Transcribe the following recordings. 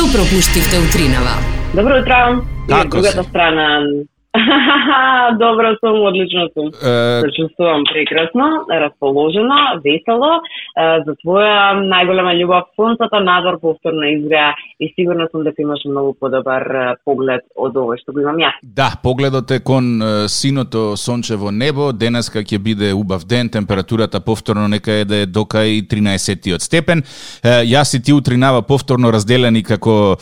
Што пропуштивте утринава? Добро утро. Како другата си? страна. Добро сум, одлично сум. Се чувствувам прекрасно, расположено, весело. За твоја најголема љубов сонцето надвор повторно изгреа и сигурно сум дека имаш многу подобар поглед од овој што го имам јас. Да, погледот е кон синото сончево небо. Денеска ќе биде убав ден, температурата повторно нека е да е докај 13 степен. Јас и ти утринава повторно разделени како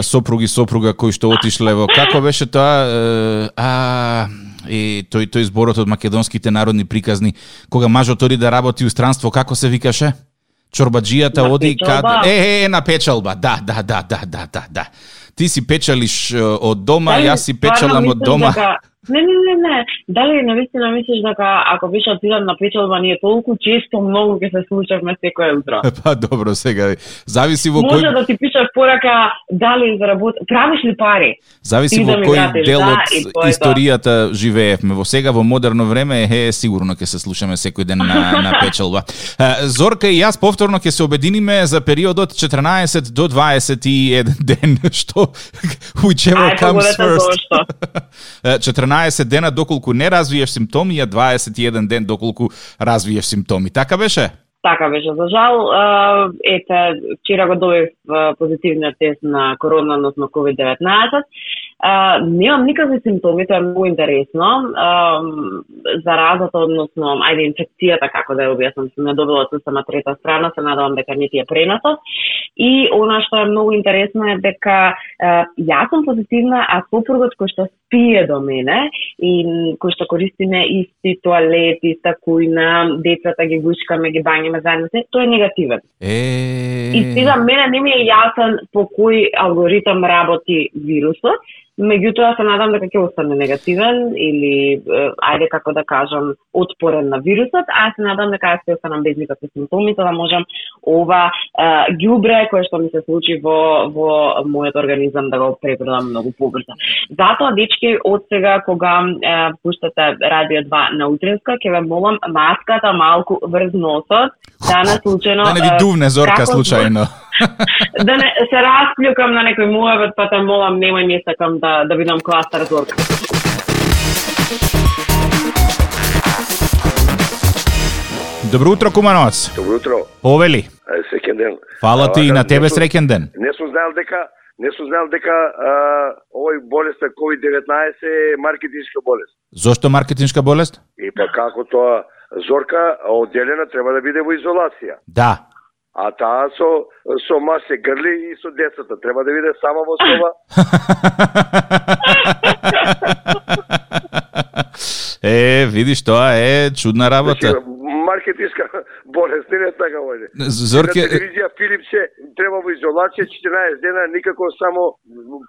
сопруга кои што отишле во како беше тоа тој зборот од македонските народни приказни, кога мажот оди да работи у странство, како се викаше? Чорбаджијата На оди печалба. на печалба. Да. Ти си печалиш од дома, јас си печалам од дома. Не. Дали навистина мислиш дека ако беше отидам на печалба, ние толку често многу ќе се случавме секој утро? Па добро, сега зависи во Може кој да ти пишат порака дали правиш ли пари? зависи Ти во да ми кој вратиш, дел да, од и тоа е историјата живеевме. Во сега во модерно време сигурно ќе се слушаме секој ден на печалба. Зорка и јас повторно ќе се обединиме за периодот 14 до 21 ден, што whichever comes first. 14 дена доколку не развиеш симптоми, а 21 ден доколку развиеш симптоми. Така беше? Така беше, за жал. Вчера го добив позитивниот тест на корона, односно COVID-19. Немам никакви симптоми, тоа е многу интересно. Заразата, односно, инфекцијата, како да ја објаснам, сум ја добила од сама трета страна, се надевам дека не ти ја пренесов. И она што е многу интересно е дека јас сум позитивна, а сопругот кој што спие до мене и кој што користиме исти тоалет, иста кујна, децата ги гушкаме, ги бањаме заедно, тој е негативен. И сега мене не ми е јасен по кој алгоритам работи вирусот, меѓутоа се надам дека ќе остане негативен или, како да кажам, отпорен на вирусот, а се надам дека јас ќе останам без никакви симптоми, за да можам ова ѓубре кое што ми се случи во мојот организам да го пребродам многу побрзо. Затоа, дечки, од сега кога пуштате Радио 2 на утринска, ќе ве молам маската малку врз носот, да не случајно... Да не ви дувне Зорка случајно. Да не се расплюкам на некој муавет, па те молам, немај ми сакам да видам кластер Зорка. Добро утро, Кумановец. Добро утро. Повели. Среќен ден. Фала ти и на тебе среќен ден. Не сум знаел дека овој болест COVID-19 е маркетиншка болест. Зошто маркетиншка болест? И па како тоа Зорка одделена треба да биде во изолација. Да. А таа со маж се грли и со децата треба да биде сама во соба. Видиш, тоа е чудна работа. Маркетиншка болест, не така војде. Зорке... На телевизија Филипче треба во изолација 14 дена, никако само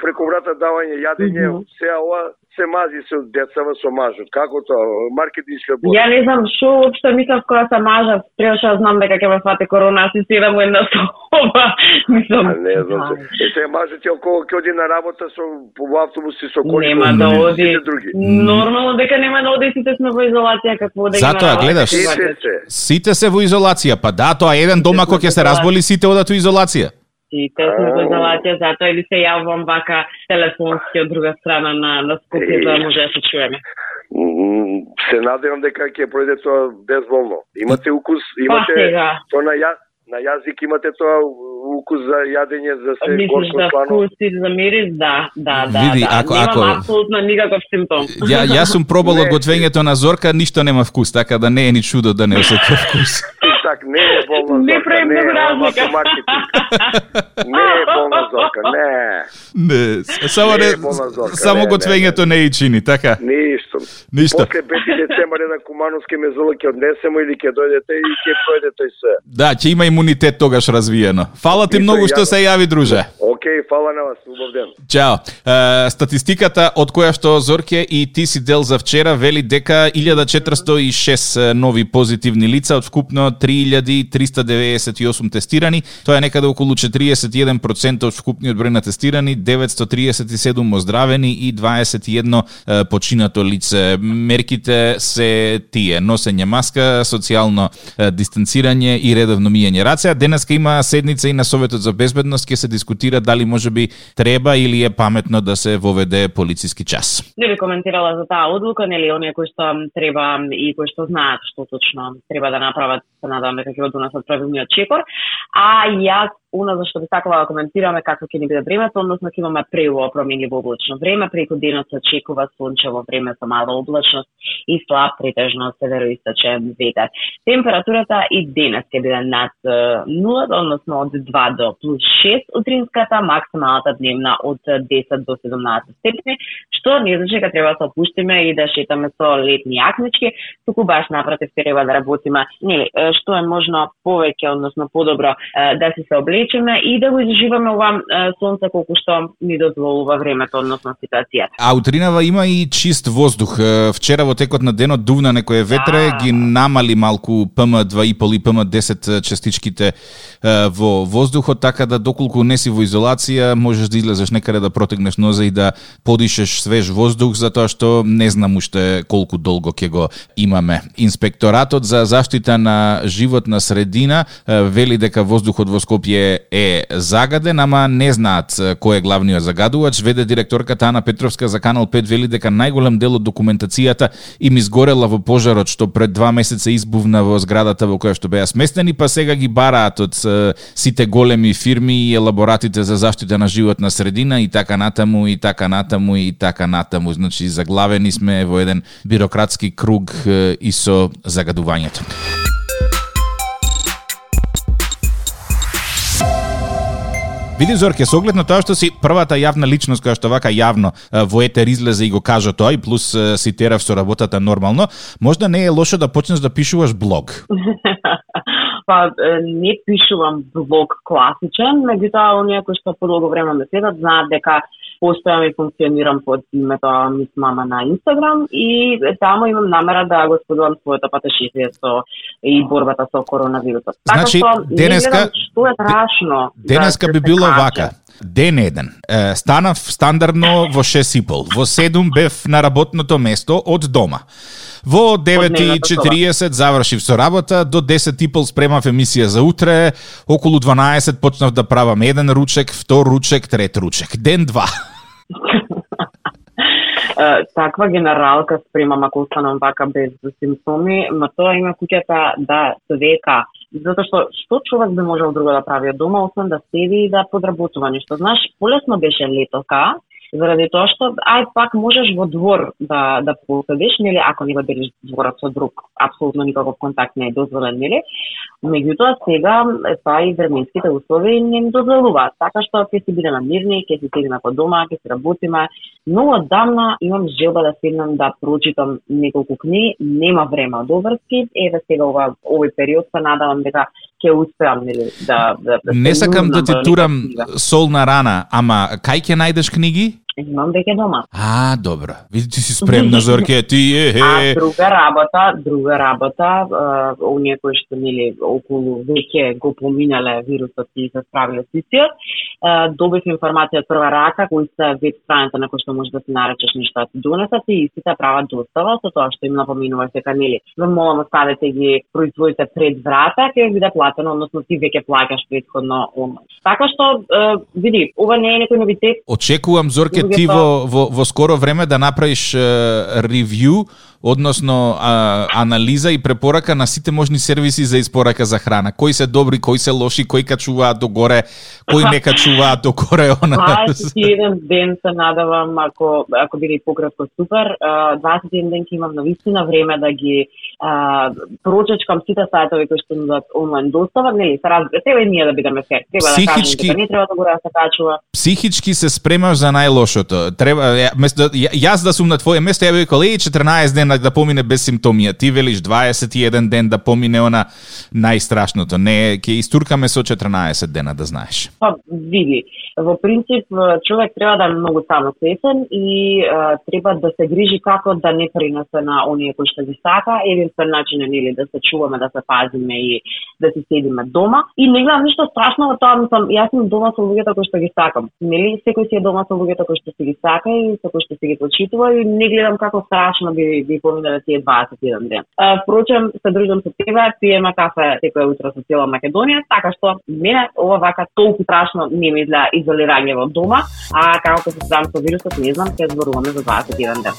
преку врата давање јадење, сеа ова се мази со децава со мажот. Како тоа? Маркетиншка болест. Ја не знам што уопште мислам кога се мажав, требаше да знам дека ќе ме фати корона, аз си седам во една соба. Мислам. Не знам се. Сега мажот ќе околу ќе оди на работа со во автобуси со коли. Нема да оди. Нормално дека нема да оди, сите сме во изолација, какво да ги Затоа гледаш. Сите се во изолација, па да, тоа еден дома кој ќе се разболи, сите одат во изолација. Сите сме во изолација, затоа или се јавувам вака телефонски од друга страна на Скопје, за да може да се чуеме. Се надевам дека ќе пројде тоа безболно. Имате укус, имате тоа на јазик, имате тоа укус за јадење, за се горско слано. Вкус и за мирис, да. Види, Немам апсолутно никаков симптом. Јас сум пробал од готвењето на Зорка, ништо нема вкус, така да не е ни чудо да не осеќа вкус. Так, не е болна Зорка, не прави многу разлика. Не е болна Зорка, не. Само готвењето не и чини, така? Ништо. После 5 децември на Кумановски мезоло ќе однесемо или ќе дојдете и ќе пројде тој се. Да, ќе има имунитет тогаш развиено. Фала ти многу што се јави, друже. Океј, фала на вас, убав ден. Чао. Статистиката од која што Зорке и ти си дел за вчера вели дека 1406 нови позитивни лица од вкупно 3398 тестирани. Тоа е некаде околу 41% од вкупниот број на тестирани, 937 оздравени и 21 починато лице. Мерките се тие: носење маска, социјално дистанцирање и редовно миење раце. Денеска има седница и на Советот за безбедност, ќе се дискутира дали можеби треба или е паметно да се воведе полициски час? Не би коментирала за таа одлука, нели, оние кои што треба и кои што знаат што точно треба да направат, се надевам дека ќе го донесат правилниот чекор. А јас зашто би сакала да коментираме како ќе ни биде времето, односно ќе имаме преубаво променливо облачно време, преку денот се очекува сончево време со мала облачност и слаб претежно североисточен ветер. Температурата и денес ќе биде над 0, односно од 2 до плюс 6 утринската, максималната дневна од 10 до 17 степени, што не значи дека треба да се опуштиме и да шетаме со летни јакнички, туку баш напротив треба да работиме, нели, што е можно повеќе, односно подобро да се облечеме и да го изживаме ова сонце колку што ни дозволува времето, односно ситуацијата. А утринава има и чист воздух. Вчера во текот на денот дувна некое ветре, ги намали малку PM2,5 и PM10 частичките во воздухот, така да доколку не си во изолација, можеш да излезеш некаде да протегнеш ноза и да подишеш свеж воздух, затоа што не знам уште колку долго ќе го имаме. Инспекторатот за заштита на животна средина вели дека воздухот во Скопје е загаден, ама не знаат кој е главниот загадувач. Веде директорката Ана Петровска за Канал 5 вели дека најголем дел од документацијата им изгорела во пожарот што пред 2 месеца избувна во зградата во која што беа сместени, па сега ги бараат од сите големи фирми и елаборатите за заштита на животна средина и така натаму и така натаму и така натаму. Значи заглавени сме во еден бирократски круг и со загадувањето. Види, Зорке, со оглед на тоа што си првата јавна личност која што вака јавно во етер излезе и го кажа тоа, и плюс си терав со работата нормално, можда не е лошо да почнеш да пишуваш блог? Па не пишувам блог класичен, меѓутоа оние кои што подолго време ме следат знаат дека постојам и функционирам под името Мис Мама на Инстаграм и таму имам намера да го споделам своето патешествие со и борбата со коронавирусот. Значи, така што денеска што е страшно. Денеска би било вака. Ден еден. Станав стандардно во 6:30. Во 7 бев на работното место од дома. Во 9:40 завршив со работа, до 10:30 спремав емисија за утре, околу 12 почнав да правам еден ручек, втор ручек, трет ручек. Ден 2. Таква генералка спремам ако останам вака без симптоми, но тоа има куќата да се века. Затоа што човек би можел друго да прави од дома, освен да седи и да подработува нешто. Знаеш, полесно беше летока, заради тоа што пак можеш во двор да поседиш, нели, ако не го делиш дворот со друг, апсолутно никаков контакт не е дозволен, нели? Меѓутоа сега тоа и временските услови не ни дозволуваат, така што ќе си бидеме мирни, ќе си седиме по дома, ќе си работиме. Многу оддавна имам желба да седнам да прочитам неколку книги, нема време од обврски, еве сега овој период се надевам дека ќе успеам, нели, да не сакам да ти турам сол на рана, ама кај ќе најдеш книги? Имам веќе дома. Добро. Види, ти си спремна, Зорке, ти друга работа, оние кои што нели околу веќе го поминале вирусот и се справиле со истиот, добив информација од прва рака, кои се веб страница на кој што можеш да се наречеш нешто да ти донесат и истите прават достава, со тоа што им напоминуваш дека нели ве молам оставете ги производите пред врата, ќе ви биде платено, односно ти веќе плаќаш претходно онлайн. Така што види, ова не е некој новитет. Очекувам, Зорке, ти во скоро време да направиш ревју, односно анализа и препорака на сите можни сервиси за испорака за храна. Кои се добри, кои се лоши, кои качуваат догоре, кои не качуваат догоре. Еден ден се надавам, ако биде пократко супер, 21 ден ќе имам навистина време да ги прочечкам сите сајтови кои што нудат онлайн достава, нели, се разбира, треба и ние да бидеме фер. Треба да кажем дека не треба да го се качува. Психички се спремаш за најлошото. Треба јас да сум на твое место, ја би рекол 14 дена да помине без симптоми, ти велиш 21 ден да помине она најстрашното. Не, ќе истуркаме со 14 дена, да знаеш. Па види, во принцип човек треба да е многу самосвесен и треба да се грижи како да не пренесе на оние кои што ги сака, единствен начин е нели да се чуваме, да се пазиме и да се седиме дома. И не гледам ништо страшно во тоа, мислам, јас сум дома со луѓето кои што ги сакам. Нели, секој си е дома со луѓето кои што си ги сака и со кои што си ги почитува и не гледам како страшно би поминале тие 21 ден. Впрочем, се дружам со тебе, пиеме кафе секој утро со цела Македонија, така што мене ова вака толку страшно не нема изгледа изолирање во дома, а како се справам со вирусот, не знам, ќе зборуваме за 21 ден.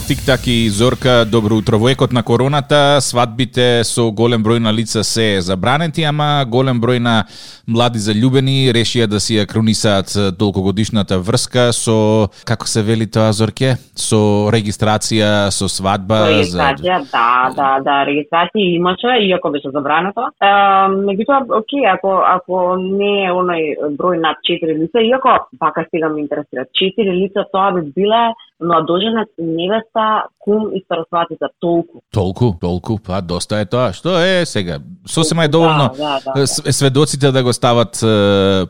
Тик-так и Зорка, добро утро. Во екот на короната, свадбите со голем број на лица се забранети, ама голем број на млади заљубени решија да си ја кронисаат долгогодишната врска со, како се вели тоа, Зорке? Со регистрација, со свадба. Регистрација, да, регистрација имаше, иако беше забрането. Меѓутоа, окей, ако не е оној број над 4 лица, иако пака сега ме интересира, 4 лица тоа би биле младоженец, невеста, кум и старосватица, толку, па доста е тоа. Што е сега? Сосема е доволно да. сведоците да го стават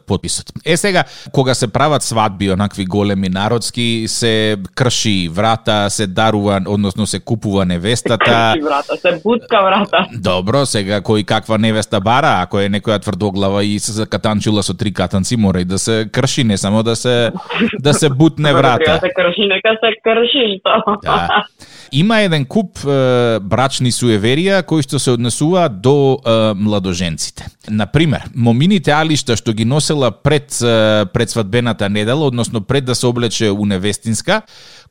подписот. Сега, кога се прават свадби, онакви големи народски, се крши врата, се дарува, односно се купува невестата. Крши врата, се буцка врата. Добро, сега кој каква невеста бара, ако е некоја тврдоглава и се закатанчула со 3 катанци, мора и да се крши, не само да се бутне врата. Треба се крши, нека се крши што. Да. Има еден куп брачни суеверија кои што се однесуваат до младоженците. Например, момините алишта што ги носела пред свадбената недела, односно пред да се облече у невестинска,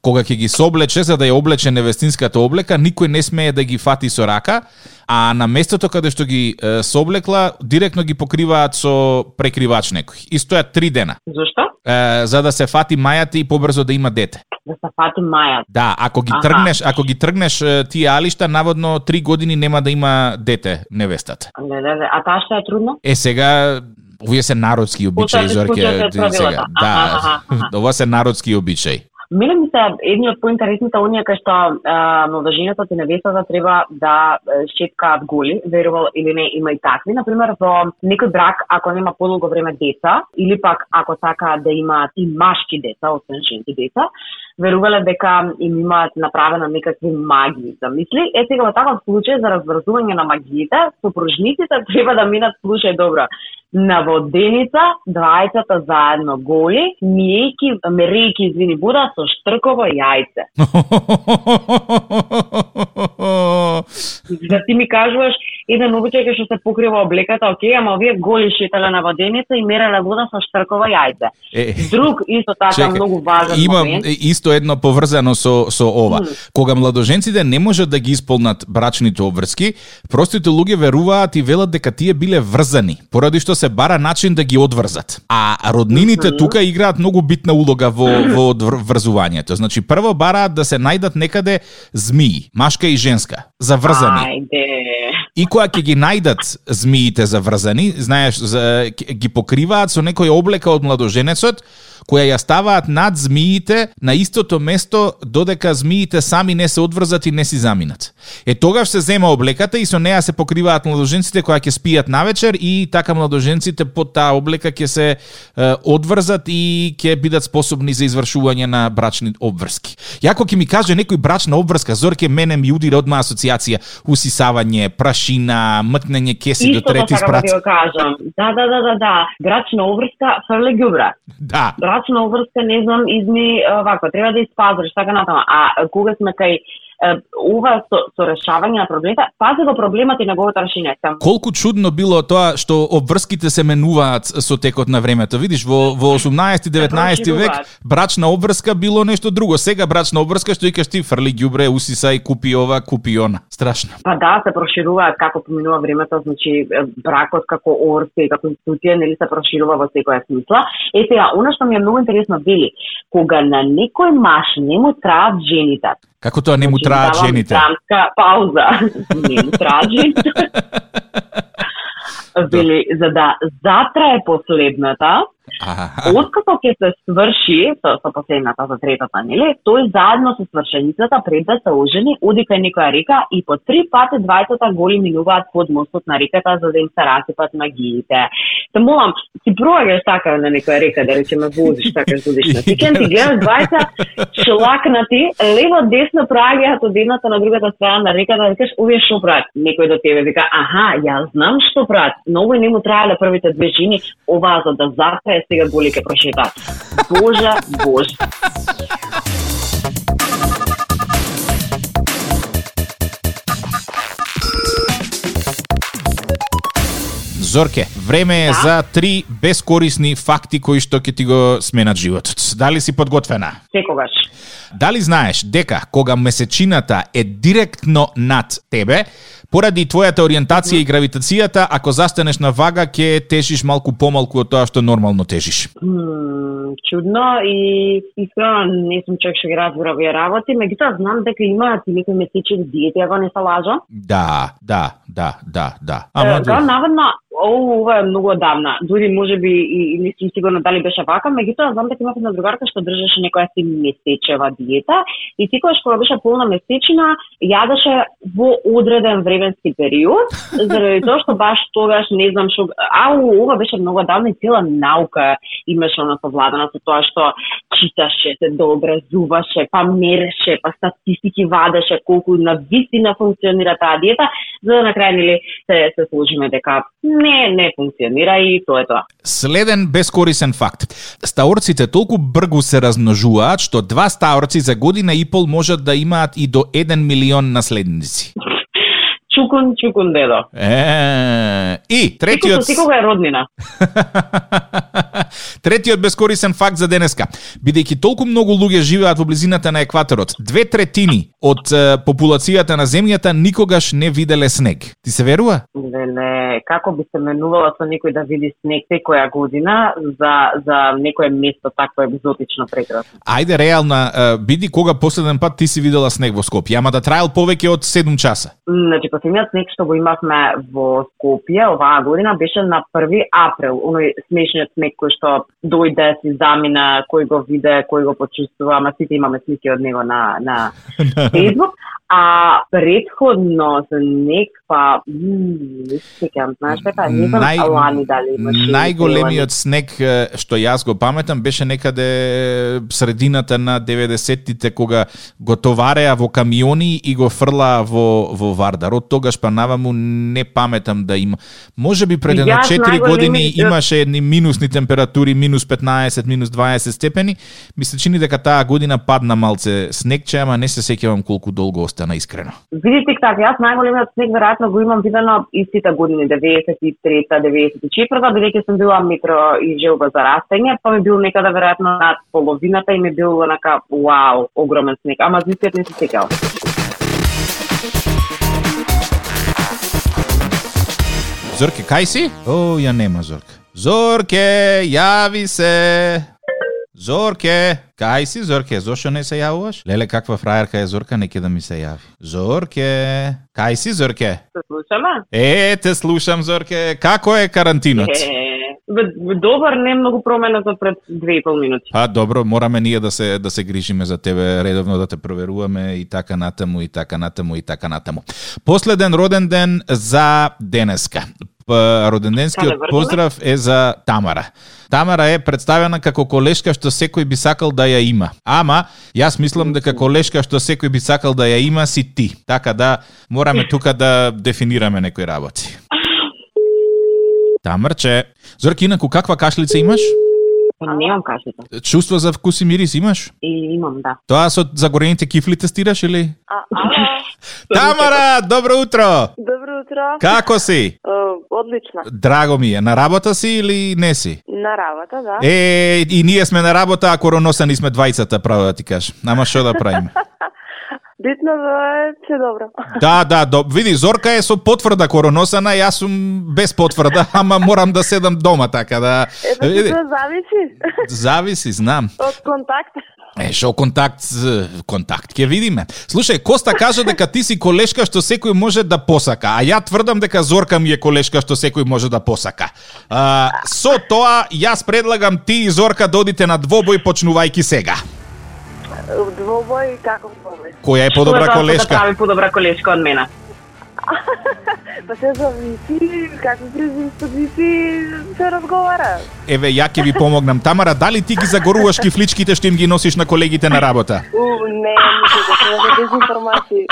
кога ќе ги соблече за да ја облече невестинската облека, никој не смее да ги фати со рака, а на местото каде што ги соблекла, директно ги покриваат со прекривач некој. И стојат 3 дена. Зошто? За да се фати мајата и побрзо да има дете. Да се фати мајата. Да, ако ги тргнеш тие алишта, наводно 3 години нема да има дете невестата. Не, а таа што е трудно? Сега овие се народски обичаи, Зорке. Да, ова се народски обичаи. Мене ми се едни од поинтересните оние кај што младоженецот и невестата треба да шеткаат голи, верувал или не, има и такви. Например, во некој брак, ако нема подолго време деца, или пак ако сака да имаат и машки деца, освен женски деца, верувале дека им имаат направено некакви магии. Замисли, сега во таков случај за разврзување на магиите, сопружниците треба да минат, слушај добро, на воденица, двајцата заедно голи, мерејки, извини Буда, со штрково јајце. Да ти ми кажуваш, еден обичај што се покрива облеката, окей, ама овие голи шетале на воденица и мереле вода со штрково јајце. Друг, исто така, многу важен момент. Има исто едно поврзано со ова. Кога младоженците не можат да ги исполнат брачните обврски, простите луѓе веруваат и велат дека тие биле врзани, поради што се бара начин да ги одврзат. А роднините тука играат многу битна улога во врзувањето. Значи, прво бараат да се најдат некаде змии, машка и женска, заврзани. И кога ќе ги најдат змиите заврзани, знаеш, ги покриваат со некоја облека од младоженецот, која ја ставаат над змиите на истото место додека змиите сами не се одврзат и не си заминат. Тогаш се зема облеката и со неа се покриваат младоженците кои ќе спијат навечер и така младоженците под таа облека ќе се одврзат и ќе бидат способни за извршување на брачни обврски. Јако ќе ми каже некој брачна обврска, Зорке, мене ми удира одма асоциација усисавање, прашина, мтнење кеси до трети спрат. Исто така да кажам. Да. Брачна обврска фрле ѓубра. Да. Брачна обврска, не знам, изми ваква, треба да испазриш, така натаму. А кога сме кај ова со решавање на проблемите, пази го проблемот и неговото решение. Колку чудно било тоа што обврските се менуваат со текот на времето. Видиш, во 18-19 век брачна обврска било нешто друго. Сега брачна обврска што викаш ти, фрли ѓубре, усисај, купи ова, купи она. Страшно. Па да, се прошируваат како поминува времето, значи бракот како обврска и како институција нели се проширува во секоја смисла. Сега, она што ми е многу интересно вели, кога на некој маж не му траат жените. Како тоа не му траат жените? Драмска пауза. Не му траат жените. Вели, за да затрае последната, откако ќе се сврши со последната за третата, нели? Тој заедно со свршеницата пред да се ожени, оди кај некоја река и по 3 пати двајцата голи минуваат под мостот на реката за да им се расипат магиите. Те молам, си проаѓаш така на некоја река, да речеме возиш така годиш на викенд и гледаш двајца шлакнати, лево десно проаѓаат од едната на другата страна на реката, да викаш овие што прават? Некој до тебе вика, аха, ја знам што прават. Но овој не му траеле првите 2 жени, ова за да затрае сега голи ке прошетаат. Боже. Зорке, време е за 3 бескорисни факти кои што ќе ти го сменат животот. Дали си подготвена? Секогаш. Дали знаеш дека кога месечината е директно над тебе, поради твојата ориентација и гравитацијата, ако застанеш на вага, ќе тежиш малку помалку од тоа што нормално тежиш? Чудно и искрено не сум човек што ги разбира овие работи, меѓутоа знам дека имаат и некои месечни диети, ако не се лажам. Да. Наводно, ова е многу одамна. Дури можеби и не сум сигурна дали беше вака, меѓутоа знам дека имав една другарка што држеше некоја си месечева диета и секогаш кога беше полна месечина, јадеше во одреден временски период, заради тоа што баш тогаш не знам што, ова беше многу одамна и цела наука имаше она совладана со тоа што читаше, се дообразуваше, па мереше, па статистики вадеше колку навистина функционира таа диета, за да на крај нели се сложиме дека не функционира и тоа е тоа. Следен бескорисен факт. Стаорците толку бргу се размножуваат што 2 стаорци за година и пол можат да имаат и до 1 милион наследници. Чукун дедо. И третиот... Секога е роднина. Третиот бескорисен факт за денеска. Бидејќи толку многу луѓе живеат во близината на екваторот, 2/3 од популацијата на земјата никогаш не виделе снег. Ти се верува? Не, како би се менувала со некој да види снег секоја година за некое место такво екзотично прекрасно? Ајде реална, биди кога последен пат ти си видела снег во Скопје, ама да траел повеќе од 7 часа. Значи, последниот снег што го имавме во Скопје оваа година беше на 1 април, оној смешниот снег кој што дојде, си замина, кој го виде, кој го почувствува, ама сите имаме слики од него на Facebook. А предходно снег, па не се сеќавам, знаеш дека не знам лани дали имаше. Најголемиот снег што јас го паметам беше некаде средината на 90-тите кога го товареа во камиони и го фрлаа во Вардар. Од тогаш па наваму не паметам да има. Можеби пред 4 години имаше едни минусни температури, минус 15, минус 20 степени. Ми се чини дека таа година падна малце снегче, ама не се сеќавам колку долго остана искрено. Видите така, јас најголемиот снег веројатно го имам видено истите години, 93-та, 94-та, бидејќи сум била метро и желба за растење, па ми бил некада веројатно над половината и ми бил онака вау, огромен снег, ама зистиот не се сеќавам. Зорке, кај си? О, ја нема Зорке. Зорке, јави се. Зорке, кај си Зорке? Зошто не се јавуваш? Леле, каква фрајерка е Зорка, неќе да ми се јави. Зорке, кај си Зорке? Те слушаме? Те слушам Зорке. Како е карантинот? Добар, не многу променето пред 2,5 минути. Па добро, мораме ние да се грижиме за тебе, редовно да те проверуваме и така натаму. Последен роден ден за денеска. Роденденскиот поздрав е за Тамара. Тамара е представена како колешка што секој би сакал да ја има. Ама, јас мислам дека колешка што секој би сакал да ја има си ти. Така да, мораме тука да дефинираме некои работи. Тамарче, Зорки, инаку каква кашлица имаш? Немам кашлица. Чувство за вкус и мирис имаш? Имам, да. Тоа со загорените кифли тестираш или? Тамара, добро утро! Добро утро. Како си? Одлично. Драго ми е. На работа си или не си? На работа, да. И ние сме на работа, а короносани сме двајцата, право да ти кажам. Ама што да правиме? Битно да е се добро. Да, види, Зорка е со потврда короносана, јас сум без потврда, ама морам да седам дома, така да... Ето, зависи. Зависи, знам. Од контакт. Шо контакт ќе видиме. Слушај, Коста кажа дека ти си колешка што секој може да посака, а ја тврдам дека Зорка ми е колешка што секој може да посака. Со тоа, јас предлагам ти и Зорка да одите на двобој почнувајќи сега. Двобој, како двобој? Која е подобра колешка? Да прави подобра колешка од мене. Па се зависи, како зависи се разговара. Еве, ја ќе ви помогнам. Тамара, дали ти ги загоруваш кифличките што им ги носиш на колегите на работа? Не, не дезинформации.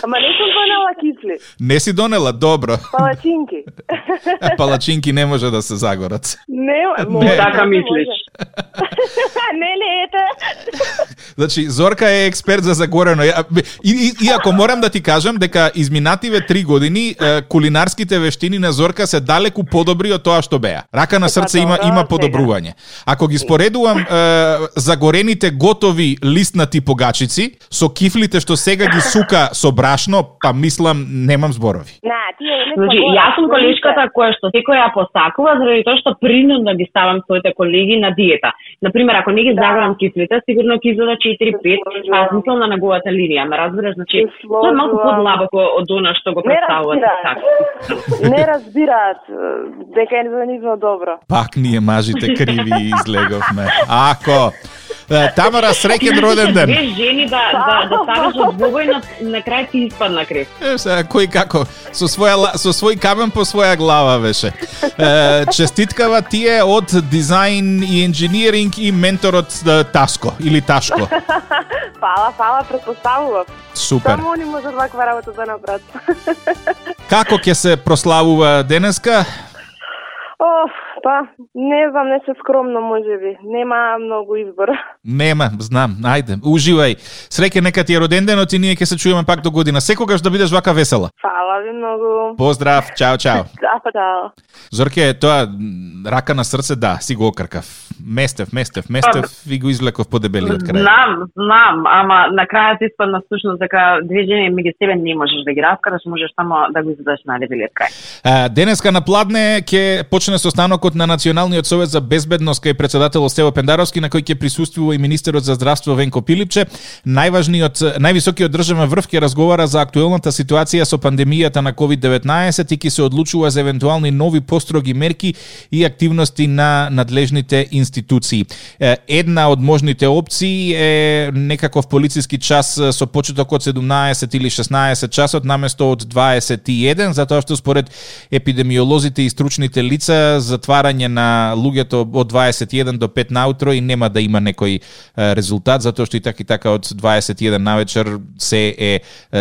Ама не сум донела кисли. Не си донела, добро. Палачинки. Палачинки не може да се загорат. Не, така мислиш. Не, ете. Значи, Зорка е експерт за загорено. И ако морам да ти кажам дека изминативе 3 години кулинарските вештини на Зорка се далеку подобри од тоа што беа. Рака на срце има подобрување. Ако ги споредувам загорените готови листнати погачици со кифлите што сега ги сука со брашно, па мислам немам зборови. Значи, јас сум колешката која што секој ја посакува заради тоа што принудно ги ставам своите колеги на диета. Например, ако не ги загорам кифлите, сигурно ќе изода 4-5, а мислам на неговата линија, ме разбираш, значи тоа е малку подлабоко од она што го представуваат така. Не разбираат дека е за нивно добро. Пак ние мажите криви излеговме. Ако Тамара, среќен роден ден. Две жени да ставиш од двобој на крај ти испадна крев. Кој како со свој камен по своја глава беше. Честиткава ти е од дизајн и инженеринг и менторот Таско или Ташко. Фала, претпоставував. Супер. Само они можат ваква работа да направат. Како ќе се прославува денеска? Не знам, не се скромно можеби. Нема многу избор. Нема, знам. Ајде, уживај. Среќен нека ти е роден денот и ние ќе се чуеме пак до година. Секогаш да бидеш вака весела. Фала ви многу. Поздрав, чао. Чао. Зорке, тоа рака на срце, да, си го окркав. Местев и го извлеков по дебелиот крај. Знам, ама на крајот испадна всушност дека две жени меѓу себе не можеш да ги раскараш, можеш само да го изведеш на дебелиот крај. Денеска на Пладне ќе почне состанокот на Националниот совет за безбедност кај председателот Стево Пендаровски, на кој ќе присуствува и министерот за здравство Венко Пилипче. Највисокиот државен врв ќе разговара за актуелната ситуација со пандемијата на COVID-19 и ќе се одлучува за евентуални нови построги мерки и активности на надлежните институции. Една од можните опции е некаков полициски час со почеток од 17 или 16 часот наместо од 21, затоа што според епидемиолозите и стручните лица затварање на луѓето од 21 до 5 наутро и нема да има некој резултат, затоа што и така од 21 навечер се е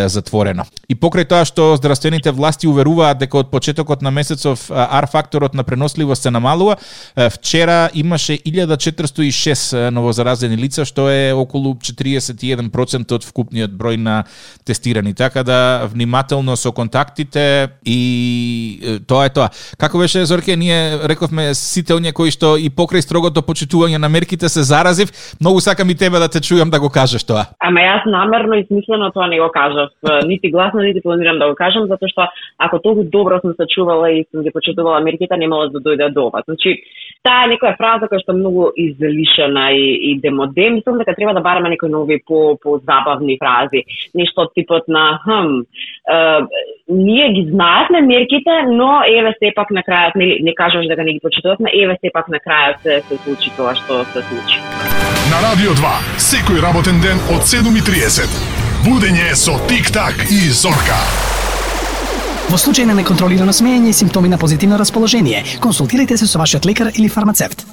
затворено. И покрај тоа што здравствените власти уверуваат дека од почетокот на месецов R-факторот на преносливост се намалува, вчера имаше 1406 новозаразени лица, што е околу 41% од вкупниот број на тестирани. Така да внимателно со контактите и тоа е тоа. Како беше, Зорке, ние рековме сите оние кои што и покрај строгото почитување на мерките се заразив, многу сакам и тебе да те чујам да го кажеш тоа. Ама јас намерно и смислено тоа не го кажав, нити гласно, нити планирам да го кажам, затоа што ако толку добро сум се чувала и сум ги почитувала мерките, немало да дојде до ова. Значи, таа е некоја фраза која што е многу излишена и демоде, мислам дека треба да бараме некои нови по-забавни фрази. Нешто од типот на ние ги знаевме мерките, но еве сепак на крајот не кажуваш дека не ги почитувавме, еве сепак на крајот се случи тоа што се случи. На Радио 2, секој работен ден од 7:30. Будење со Тик-так и Зорка. Во случај на неконтролирано смеење и симптоми на позитивно расположение, консултирайте се со вашиот лекар или фармацевт.